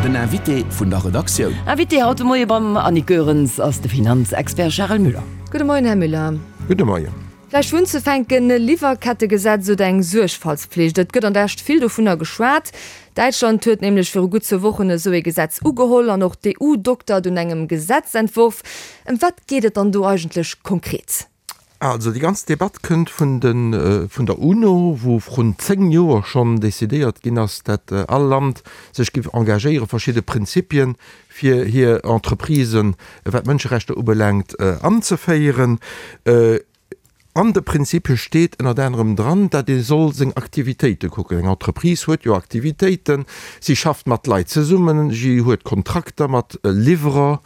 Den Invité vun der Redaktioun. Invité haut de Moie beim Annick Goerens ass de Finanzexpert Charel Müller. Gudde Moien, Här Müller. Gudde Moien. Vläicht fir unzefänken, e Liwwerkettegesetz oder eng Suergfaltspflicht? Et gëtt an der Escht vill dovunner geschwat. Däitschland huet nämlech viru gutt zwou Wochen esou ee Gesetz ugeholl an och d'EU doktert un engem Gesetzentworf. Ëm wat geet et dann do eigentlech konkret? Also déi ganz Debatt kënnt vun de vun der UNO, wou vrun 10 Joer schonn decidéiert ginn ass, dat all Land sech géif engagéiere verschidde Prinzipien fir hir Entreprisen, wat d'Mënscherechter ubelaangt, anzeféieren. An de Prinzipie steet ënnert anerem dran, dat ee soll seng Aktivitéite kucken. Eng Entreprise huet jo Aktivitéiten, si schafft mat Leit zesummen, si huet Kontrakter mat Liwwerer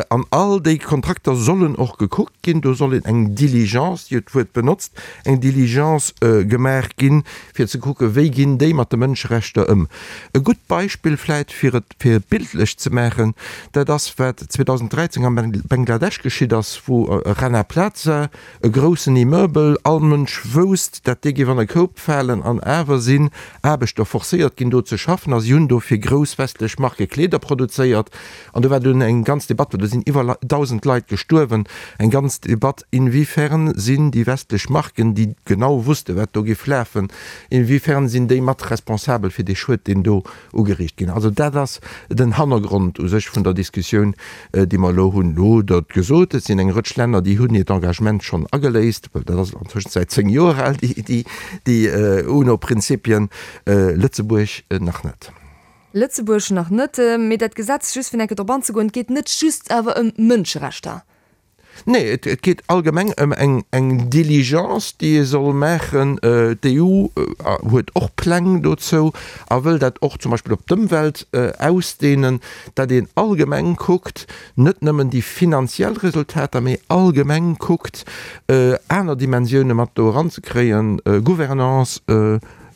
an all déi Kontrakter sollen och gekuckt ginn. Do soll een eng Diligence, Dir hutt d'Wuert benotzt, eng Diligence gemaach ginn, fir ze kucken, wéi ginn déi mat de Mënscherechter ëm. E gutt Beispill vläit, fir et fir et bildlech ze maachen, dat ass wat 2013 am Bangladesch geschitt ass, wou Rana Plaza, e groussen Immeuble, all Mënsch wousst, dat dee géif an e Koup falen, an awer sinn Aarbechter forcéiert ginn do ze schaffen a si hunn do fir grouss westlech Marke Kleeder produzéiert. An do war dunn eng ganz Debatt, well do sinn iwwer 1.000 Leit gestuerwen, eng ganz Debatt, inwiefern sinn déi westlech Marken, déi genau wusste wat do géif lafen, inwiefern sinn déi mat responsabel fir dee Schued, deen do ugeriicht ginn. Also dat ass den Hannergrond u sech vun der Diskussioun, déi mer elo hunn. Elo hutt Der et gesot, et sinn eng Rëtsch Länner, déi hunn hiert Engagement schonn ageléist, well dat ass an Tëschenzäit 10 Joer al, déi UNO-Prinzipien, Lëtzebuerg nach net. Lëtzebuerg nach net. Mee dat Gesetz, just fir eng Kéier drop anzegoen, et geet net just awer ëm Mënscherechter. Nee, et geet allgemeng ëm eng Diligence, déi ee soll maachen. D'EU huet och Pläng dozou a wëll dat och zum Beispill op d'Ëmwelt ausdehnen, datt een allgemeng kuckt, net nëmmen déi finanziell Resultater, mee allgemeng kuckt, aner Dimensioune mat do eranzekréien, Gouvernance,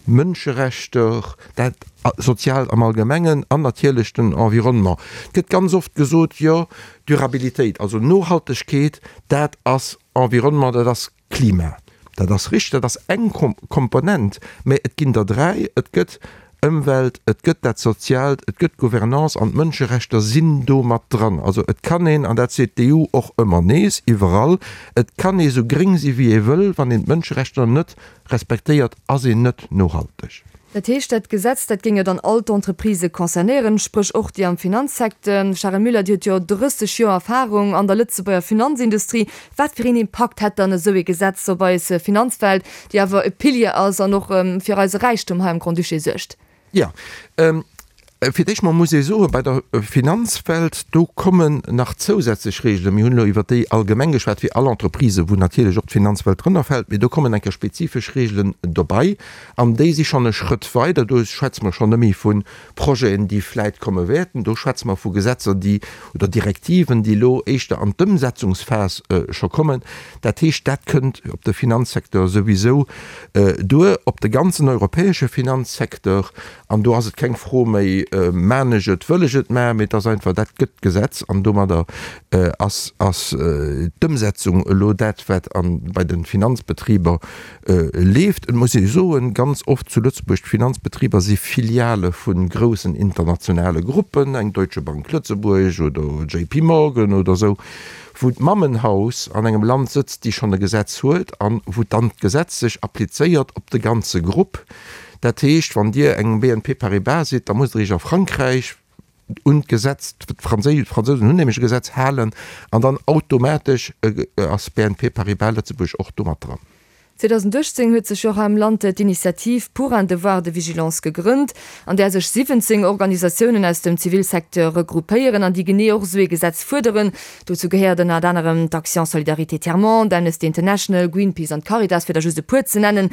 Mënscherechter, dat Soziaalt am Allgemengen an natierlech den Environnement. Et gëtt ganz oft gesot, jo, Durabilitéit, also Nohaltegkeet, dat ass Environnement, dat ass Klima. Dat ass richteg, dat ass eng Komponent, mä et ginn der 3, Et gëtt Ëmwelt, et gëtt dat Soziaalt, et gëtt d'Gouvernance an d'Mënscherechter sinn do mat dran. Also et kann een, an dat seet d'EU och ëmmer nees iwwerall, et kann ee sou gréng si wéi ee wëll, wann een d'Mënscherechter net respektéiert, ass een net nohalteg. Dat heescht, dat Gesetz, dat géing jo dann all d'Entreprisë concernéieren, spréch och déi am Finanzsecteur. Charel Müller, Dir hutt jo 30 Joer Erfahrung an der Lëtzebuerger Finanzindustrie. Wat fir een Impakt hätt dann esou ee Gesetz op eis Finanzwelt, déi awer e Pilier ass an och fir eise Räichtum hei am Grand-Duché suergt? Jo, fir d'éischt mol muss ee soen, bei der Finanzwelt, do kommen nach zousätzlech Regeln. Mir hunn elo iwwert déi allgemeng geschwat, fir all Entreprisë, wou natierlech och d'Finanzwelt drënner fält, mee do kommen eng Kéier spezifesch Regeln dobei an déi si schonn e Schrëtt weider. Do schwätze mer schonn net méi vu Projeten, déi vläit komme wäerten, do schwätze mer vu Gesetzer, déi, oder Direktiven, déi elo éischter an d'Ëmsetzungsphas scho kommen. Dat heescht, dat kënnt op de Finanzsecteur souwisou duer, op de ganzen europäesche Finanzsecteur. An do ass et keng Fro méi, Maan ech et, wëll ech et maachen, mee et ass einfach, dat gëtt d'Gesetz an domadder ass ass d'Ëmsetzung elo dat, wat bei de Finanzbetriber leeft. Et muss ee soen, ganz oft zu Lëtzebuerg, d'Finanzbetriber si Filiale vu groussen internationale Gruppen, eng Deutsche Bank Lëtzebuerg oder JP Morgan oder esou. wou d'Mammenhaus an engem Land sëtzt, déi schonn e Gesetz huet an wou dann d'Gesetz sech applizéiert op de ganze Grupp. Dat heescht, wann Dir eng BNP Paribas sidd, da musst Der Iech a Frankräich un d'Gesetz, d'Fransousen hunn nämlech e Gesetz, halen an dann automatesch ass BNP Paribas Lëtzebuerg och do mat dran. 2018 huet sech jo och hei am Land d'Initiative Pour un devoir de vigilance gegrënnt, an där sech 17 Organisatiounen aus dem Zivilsecteur regroupéieren an déi genee och esou ee Gesetz fuerderen. Dozou gehéiert ënnert anerem d'Action Solidarité Tiers Monde, Amnesty International, Greenpeace an d'Caritas, fir der just e puer ze nennen.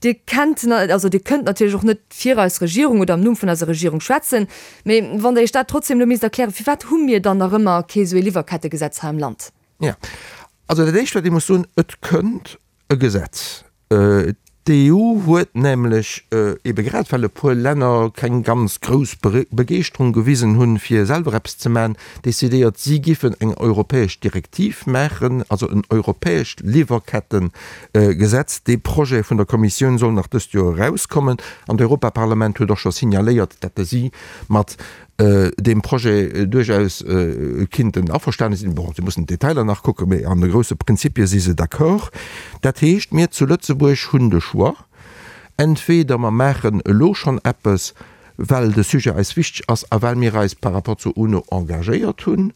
Dir kennt, also Dir kënnt natierlech och net fir eis Regierung oder am Numm vun eiser Regierung schwätzen, mee wann Der Iech dat trotzdem elo misst erklären, firwat hu mir dann nach ëmmer kee esou ee Liwwerkettegesetz hei am Land? Jo, also dat Éischt, wat ee muss soen, Et kënnt e Gesetz. D'EU huet nämlech, ebe grad well e puer Länner keng ganz grouss Begeeschterung gewisen hunn, fir selwer eppes ze maachen, decidéiert, si giffen eng europäesch Direktiv maachen, also en europäescht Liwwerkettegesetz. Dee Projet vun der Kommissioun soll nach dëst Joer erauskommen an d'Europaparlament huet och scho signaléiert, datt si mat. Deem Projet duerchaus kinnten averstane sinn. Bon, se mussen d'Detailer nach kucken, mee an de grousse Prinzipie si se d'accord. Dat heescht, mir zu Lëtzebuerg hunn de Choix, entweder mer maachen elo schonn eppes, well de Sujet eis wichteg ass a well mir eis par rapport zur UNO engagéiert hunn,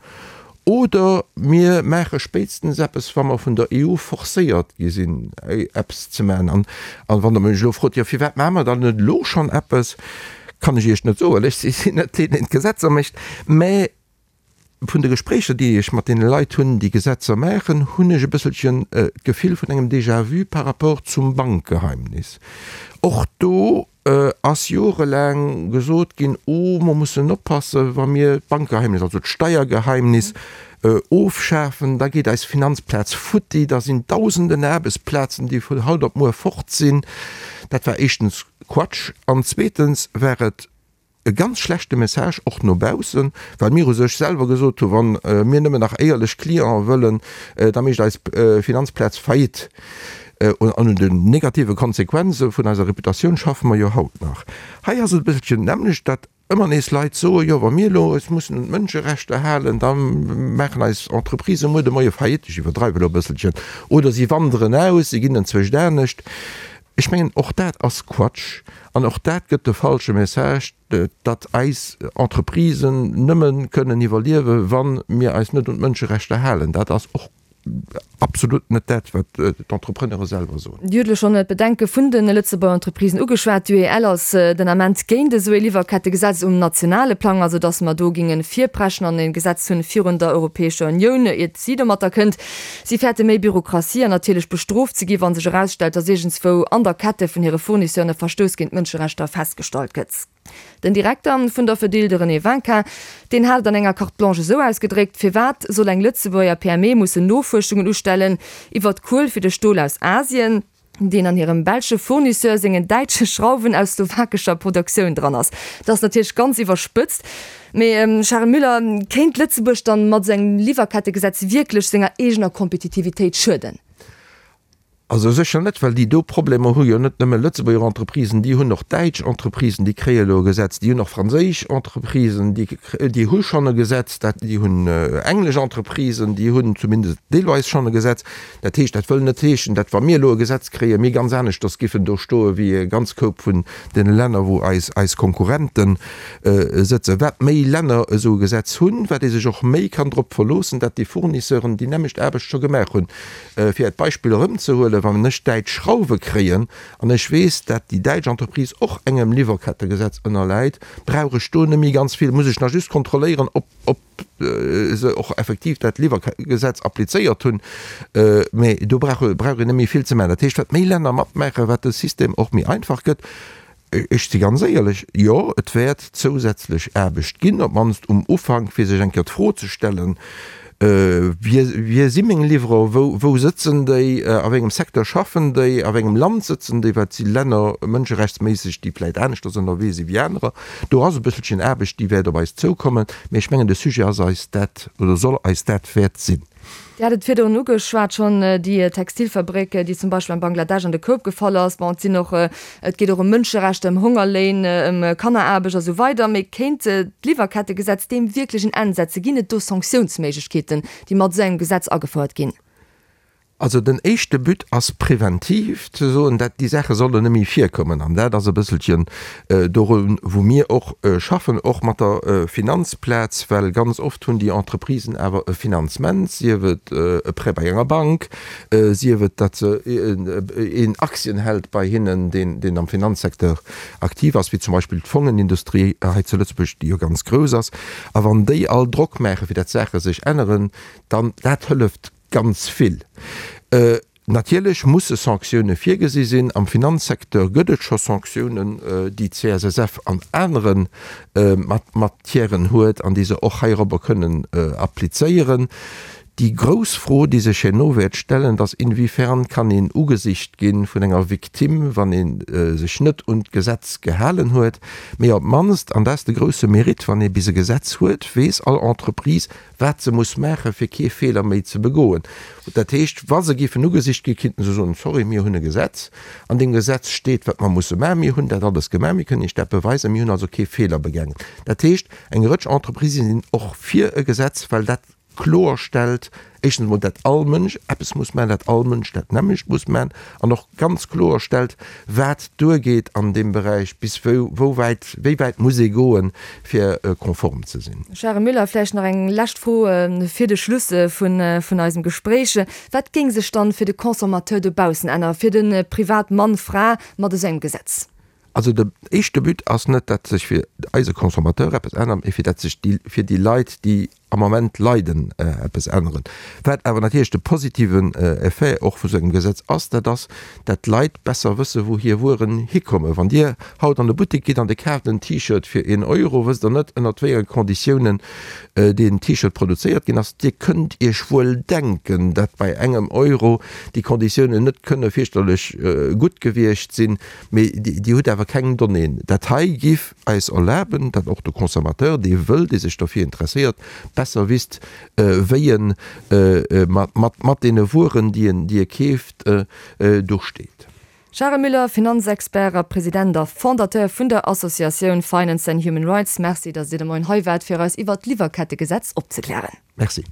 Oder mir maache spéitstens eppes, wa mer vun der EU forcéiert gi sinn, eppes ze maachen. An wann Der mech elo frot, Jo, firwat maache mer dann net elo schonn eppes, kann ech Iech net soen. Ech sinn net deen, deen d'Gesetzer mécht. Mä vun de Gespréicher, déi ech mat deene Leit hunn, déi Gesetzer maachen, hunn ech e bësselchen d'Gefill vun engem Déjà-vu par rapport zum Bankgeheimnis. Och do ass jorelaang gesot ginn, oh mer mussen oppassen, wa mir d'Bankgeheimnis, also d'Steiergeheimnis ofschafen, da geet eis Finanzplaz futti, da sinn dausenden Aarbechtsplazen, déi vun haut op muer fort sinn. Dat war éischtens Quatsch an zweetens war et e ganz schlechte Message och no baussen, well mir u sech selwer gesot hu wa mir nëmmen nach éierlech Clienten wëllen, da mécht eis Finanzplaz Faillite. An un den negative Konsequenze vun eiser Reputatioun schaffe mer jo haut nach. Hei ass et e bësselchen d'nämmlecht, dat ëmmer nees Leit soen, jo wa mir elo eis mussen un d'Mënscherechter halen, da maachen eis Entreprisë muer de Moie Faillite, ech iwwerdreiwe elo e bësselchen, oder si wanderen aus, si ginn enzwousch anescht. Ech mengen, och dat ass Quatsch an och dat gëtt de falsche Message, datt eis Entreprisen nëmme kënnen iwwerliewen, wa mir eis net un d'Mënscherechter halen. Dat ass och absolut net dat, wat d'Entrepreneure selwer soen. Dir hutt elo schonn d'Bedenke vun de Lëtzebuerger Entreprisen ugeschwat. D'UEL ass den Ament géint esou ee Liwwerkettegesetz um nationale Plang, also datt mer do géinge virpreschen an e Gesetz hunn virun der Europäescher Unioun, iert si domatter kënnt. Si fäerte méi Bürokratie an natierlech bestrooft ze gi wa sech erausstellt, datt iergendswou an der Kette vun hire Fournisseuren e Verstouss géint d'Mënscherechter festgestallt gëtt. Den Direkter vun der Fedil, de René Vinquin, deen hat et an enger Carte blanche esou ausgedréckt, Firwat soll eng Lëtzebuerger PME mussen Nofuerschungen ustellen iwwert d'Kuel fir de Stol aus Asien, deen an hirem belsche Fournisseur sengen däitsche Schrauwen aus slowakescher Produktioun dran ass? Dat ass natierlech ganz iwwerspëtzt, mee Charel Müller, kéint Lëtzebuerg dann mat esou engem Liwwerkettegesetz wierklech senger eegener Kompetitivitéit schueden? Also sécher net, well déi do Problemer hu jo net nëmme Lëtzebuerger Entreprisen, déi hunn och däitsch Entreprisen, déi kréie elo e Gesetz, déi hunn och franséisch Entreprisen, déi, déi hu schonn e Gesetz, dat, déi hunn englesch Entreprisen, déi hunn zumindest deelweis schonn e Gesetz. Dat heescht, dat wëll net heeschen, datt wa mir elo e Gesetz kréien, mir ganz aneschters giffen do stoe wéi e ganz Koup vun deene Länner, wou eis, eis Konkurrente sëtzen. Wat méi Länner esou e Gesetz hunn, wat ee sech och méi kann drop verloossen, datt déi Fournisseuren déi nämmlecht Aarbecht scho gemaach hunn. Fir et Beispill erëmzehuelen, Wann ech däitsch Schrauwe kréien an ech weess, dat déi däitsch Entreprise och engem Liwwerkettegesetz ënnerläit, brauch ech do net méi ganz vill, muss ech nach just kontrolléieren, ob ob se och effektiv dat Liwwergesetz applizéiert hunn. Mä do brauch brauch een net méi vill ze maachen. Dat heescht, wat méi Länner matmaachen, wat de System och méi einfach gëtt. Ech si ganz éierlech, jo, et wäert zousätzlech Aarbecht ginn, op d'mannst um Ufank, fir sech eng Kéier d'Fro ze stellen, Wie, wie si meng Liwwerer, wou, wou sëtzen déi, a wéi engem Secteur schaffen déi, a wéi engem Land sëtzen déi, wat si Länner mënscherechtsméisseg, déi vläicht aneschters ënnerwee si wéi anerer. Do ass e bësselchen Aarbecht, déi wäert op eis zoukommen, mä ech mengen, de Sujet ass eis dat oder soll eis dat wäert sinn. Dir hat et virdrun ugeschwat schonn, déi Textilfabréck, déi zum Beispill am Bangladesch an de Koup gefall ass. Bon, et sinn och, et geet och ëm Mënscherechter, ëm Hongerléin, ëm Kanneraarbecht a sou weider. Mee kéint d'Liwwerkettegesetz deem wierklech en Enn setzen? Ginn et do Sanktiounsméiglechkeeten, déi mat esou engem Gesetz agefouert ginn? Also den éischte But ass preventiv ze soen, dat déi Saache sollen net méi virkommen. An dat ass e bësselchen dorun, wou mir och schaffen, och mat der Finanzplaz, well ganz oft hunn déi Entreprisen awer e Finanzement, sief et e Prêt bei enger Bank, sief et, datt se een Aktien hält bei hinnen, deen, deen am Finanzsecteur aktiv ass, wéi zum Beispill d'Fongenindustrie hei zu Lëtzebuerg, déi jo ganz grouss ass. A wann déi all Drock maachen, fir dat d'Saache sech änneren, dann dat hëlleft ganz vill. Natierlech musse Sanktioune virgesi sinn. Am Finanzsecteur gëtt et scho Sanktiounen, déi d'CSSF an anere Matièren huet an déi se och heirobber kënnen applizéieren. Déi grouss Fro, déi sech herno wäert stellen, dat ass, Inwiefern kann een ugesicht gi vun enger Victime, wann ee sech net un d'Gesetz gehalen huet? Mee op d'mannst, an dat ass de grousse Mérite, wann ee bis e Gesetz huet, weess all Entreprise, wat se muss maachen, fir kee Feeler méi ze begoen. Dat heescht, wa se géifen ugesicht ginn, kinnten se soen, Sorry, mir hunn e Gesetz, an deem Gesetz steet, wat mer musse maachen, mir hunn dat alles gemaach, mir kënnen Iech dat beweisen, mir hunn also kee Feeler begaangen. Dat heescht, eng Rëtsch Entreprisë sinn och fir e Gesetz, well dat kloer stellt, éischtens emol, dat all Mënsch eppes muss maachen, dat all Mënsch dat nämmlecht muss maachen, an och ganz kloer stellt, wat duergeet an deem Beräich, bis wou, wou wäit, wéi wäit muss ee goen, fir konform ze sinn. Charel Müller, vläicht nach eng lescht Fro fir de Schluss vun eisem Gespréich. Wat géing sech dann fir de Consommateur dobaussen änneren, fir de Privatmann, Fra mat esou engem Gesetz? Also de éischte But ass net, dat sech fir eise Consommateur eppes ännert, mee fir dat sech déi, fir déi Leit, déi am Ament leiden, eppes änneren. Wat awer natierlech de positiven Effet och vu sou engem Gesetz ass, dat ass, dat d'Leit besser wësse wou hir Wueren hikommen. Wann Dir haut an de Buttek gitt an Dir kaaft en T-Shirt fir een Euro, wësst Der net, ënnert wéi enge Konditiounen deen T-Shirt produzéiert ginn ass. Dir kënnt Iech wuel denken, dat bei engem Euro déi Konditiounen net kënne fierchterlech gutt gewiescht sinn. Mee Dir hutt awer keng Donnéeën. Dat hei giff eis erlaben, datt och de Consommateur, dee wëll, dee sech derfir interesséiert, besser wisst, wéi en mat deene Wueren, déi e keeft, do steet. Charel Müller, Finanzexpert a President a Fondateur vun der Associatioun Finance and Human Rights, Merci, datt Dir de Moien hei waart, fir eis iwwert d'Liwwerkettegesetz opzeklären. Merci.